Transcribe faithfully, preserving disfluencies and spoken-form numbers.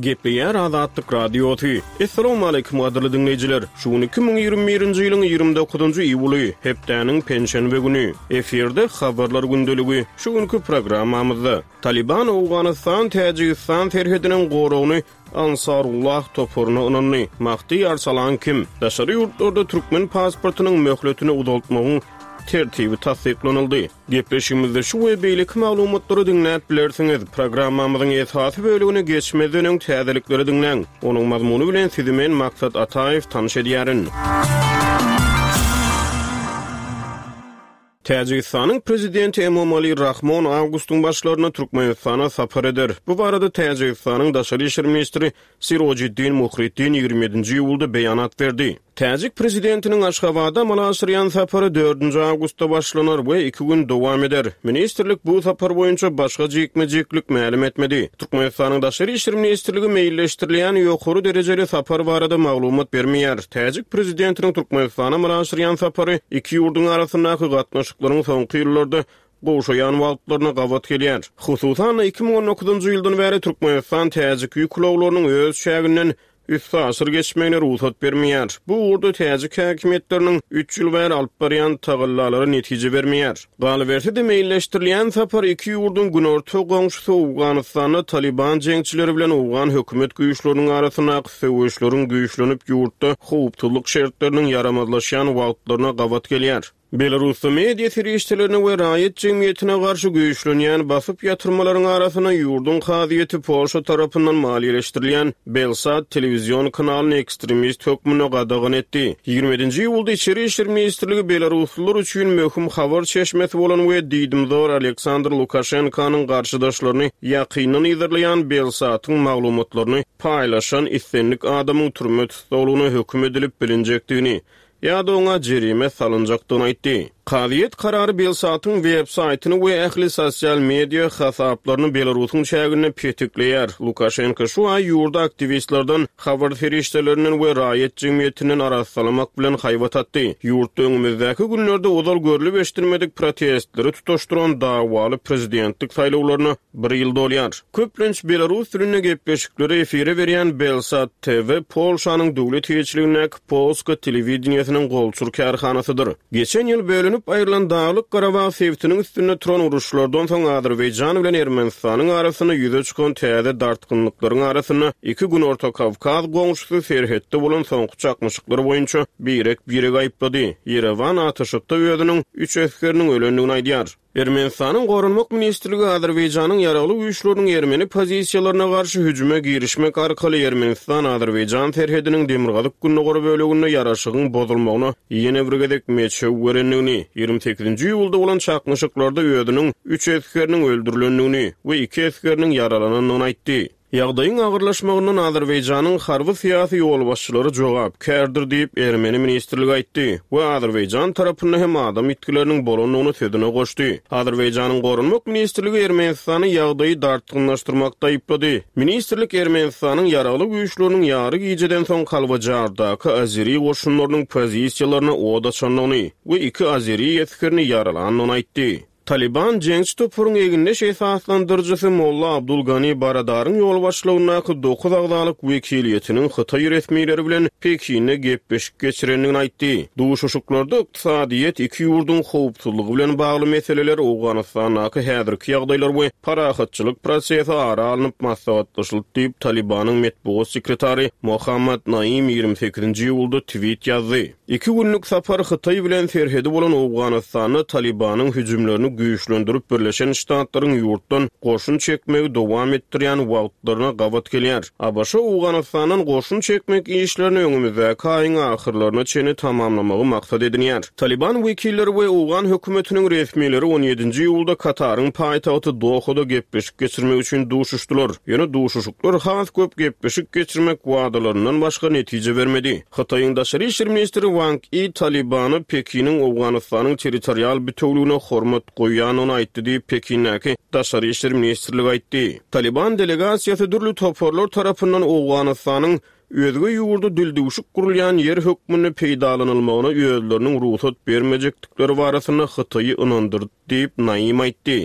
Gepleýär Azatlyk Radiosy. Assalamualaikum gadyrly diňleýjiler. Şu gün iki müň ýigrimi birinji ýylyň ýigrimi dokuzynjy iýuly, hepdäniň penşenbe güni. Efirde habarlar gündeligi. Şu günki programmamyzda Taliban Owganystan Täjigistan serhediniň goragyny Ansarullah toparyna ynandy. Mahdi Arsalan kim? Daşary ýurtlarda türkmen pasportynyň möhletini uzaltmagyň tertibi tassyklanyldy. Gepleşigimizde şu we beýleki maglumatlary diňläp bilersiňiz. Programmamyzyň esasy bölümine geçmezden öň täzelikleri diňläň. Onuň mazmuny bilen sizi men Maksat Ataýew tanyş edýärin. Täjigistanyň prezidenti Emomali Rahmon awgustyň başlarynda Türkmenistana sapar eder. Bu barada Täjigistanyň daşary işler ministri Sirojiddin Muhriddin ýigrimi ýedinji iýulda beýanat berdi. Täjik prezidentiniň Aşgabada amala aşyrýan sapary dördünji awgustda başlanar we iki gün dowam eder. Ministrlik bu sapar boýunça başga jikme-jiklik mälim etmedi. Türkmenistanyň daşary işler ministrligi meýilleşdirilýän ýokary derejeli sapar barada maglumat bermeýär. Täjik prezidentiniň Türkmenistana amala aşyrýan sapary iki ýurduň arasyndaky gatnaşyklaryň soňky ýyllarda gowşaýan wagtlaryna gabat gelýär. Hususan-da iki müň on dokuzynjy ýyldan bäri Türkmenistan täjik ýük ulaglarynyň öz çäginden üstaşyr geçmegine rugsat bermeýär. Bu ugurda täjik häkimiýetleriniň üç ýyl bäri alyp barýan tagallalary netije bermeýär. Galyberse-de meýilleşdirilýän sapar iki ýurduň günorta goňşusy Owganystanda Taliban jeňçileri bilen Owgan hökümet güýçleriniň arasyndaky söweşleriň güýçlenip ýurtda howpsuzlyk şertleriniň ýaramazlaşýan wagtlaryna gabat gelýär. Belarusda media serişdelerine we raýat jemgyýetine garşy güýçlenýän basyp ýatyrmalaryň arasynda ýurduň kazyýeti Polşa tarapyndan maliýeleşdirilýän Belsat telewizion kanalyny ekstremist hökmünde gadagan etdi. Ýigrimi ýedinji iýulda Içeri işler ministrligi belaruslylar üçin möhüm habar çeşmesi bolan we diýdimzor Aleksandr Lukaşenkanyň garşydaşlaryny ýakyndan yzarlaýan Belsatyň maglumatlaryny paýlaşan islendik adamyň türme tussaglygyna höküm edilip bilinjekdigini ýa-da oňa jerime salynjakdygyny aýtdy. Kazyýet karary Belsatyň web saýtyny we ähli sosial media hasaplaryny Belarusyň çäginde petikleýär. Lukaşenko şu aý ýurda aktiwistlerden, habar serişdelerinden we raýat jemgyýetinden arassalamak bilen haýbat atdy. Ýurtda öňümizdäki günlerde ozal görlüp eşidilmedik protestleri tutaşdyran dawaly prezidentlik saýlawlaryna bir ýyl dolýar. Köplenç Belarus dilinde gepleşikleri efire berýän Belsat T V Polşanyň döwlet eýeçiligindäki Polska telewideniýesiniň golçur kärhanasydyr. Geçen ýyl bölünip aýrylan Daglyk Garabag sebitiniň üstünde turan uruşlardan soň Azerbaýjan bilen Ermenistanyň arasynda ýüze çykan täze dartgynlyklaryň arasynda iki Günorta Kawkaz goňşusy serhetde bolan soňky çaknyşyklar boýunça birek-birek aýyplady. Ýerewan atyşykda özüniň üç esgeriniň ölendigini aýdýar. Ermenistanyň Goranmak ministrligi Azerbaýjanyň ýaragly güýçleriniň ermeni pozisiýalaryna garşy hüjüme girişmek arkaly Ermenistan-Azerbaýjan serhediniň demirgazyk gündogar böleginde ýaraşygyň bozulmagyna ýene bir gezek meçew berendigini, ýigrimi sekizinji iýulda bolan çaknyşyklarda özüniň üç esgeriniň öldürilendigini we iki esgeriniň ýaralanandygyny aýtdy. Ýagdaýyň agyrlaşmagyndan Azerbaýjanyň harby syýasy ýolbaşçylary jogapkärdir diýip Ermeni ministrligi aýtdy we Azerbaýjan tarapynda hem adam ýitgileriniň bolandygyny sözüne goşdy. Azerbaýjanyň Goranmak ministrligi Ermenistany ýagdaýy dartgynlaşdyrmakda aýyplady. Ministrlik Ermenistanyň ýaragly güýçleriniň ýary gijeden soň Kalbajardaky Azeri goşunlarynyň pozisiýalaryna od açandygyny we iki Azeri esgerini ýaralandygyny aýtdy. Taliban jeňçi toparyň egindeş esaslandyryjysy Molla Abdulgani Baradaryň ýolbaşçylygyndaky dokuz agzalyk wekiliýetiniň Hytaý resmileri bilen Pekinde gepleşik geçirendigini aýtdy. Duşuşyklarda ykdysadyýet, iki ýurduň howpsuzlygy bilen bagly meseleler, Owganystandaky häzirki ýagdaýlar we parahatçylyk prosesi ara alnyp maslahatlaşyldy diýip Talibanyň metbugat sekretary Mohammad Naim ýigrimi sekizinji iýulda tweet ýazdy. Iki günlük sapar Hytaý bilen serhedi bolan Owganystanda Talibanyň hüjümlerini güýçlendirip Birleşen Ştatlaryň ýurtdan goşun çekmegi dowam etdirýän wagtlaryna gabat gelýär. A B Ş Owganystandan goşun çekmek işlerini öňümizdäki aýyň ahyrlaryna çenli tamamlamagy maksat edinýär. Taliban wekilleri we Owgan hökümetiniň resmileri on ýedinji iýulda Kataryň paýtagty Dohada gepleşik geçirmek üçin duşuşdylar. Ýöne duşuşyklar has köp gepleşik geçirmek wadalaryndan başga netije bermedi. Hytaýyň daşary işler ministri Wang Yi Talibany Pekiniň Owganystanyň territorial bütewligine hormat goýýanyny aýtdy diýip Pekindäki daşary işler ministrligi aýtdy. Taliban delegasiýasy dürli toparlar tarapyndan Owganystanyň özge ýurda dildüwşük gurulýan ýer hökmünde peýdalanylmagyna özleriniň rugsat bermejekdikleri barasynda Hytaýy ynandyrdy diýip Naim aýtdy.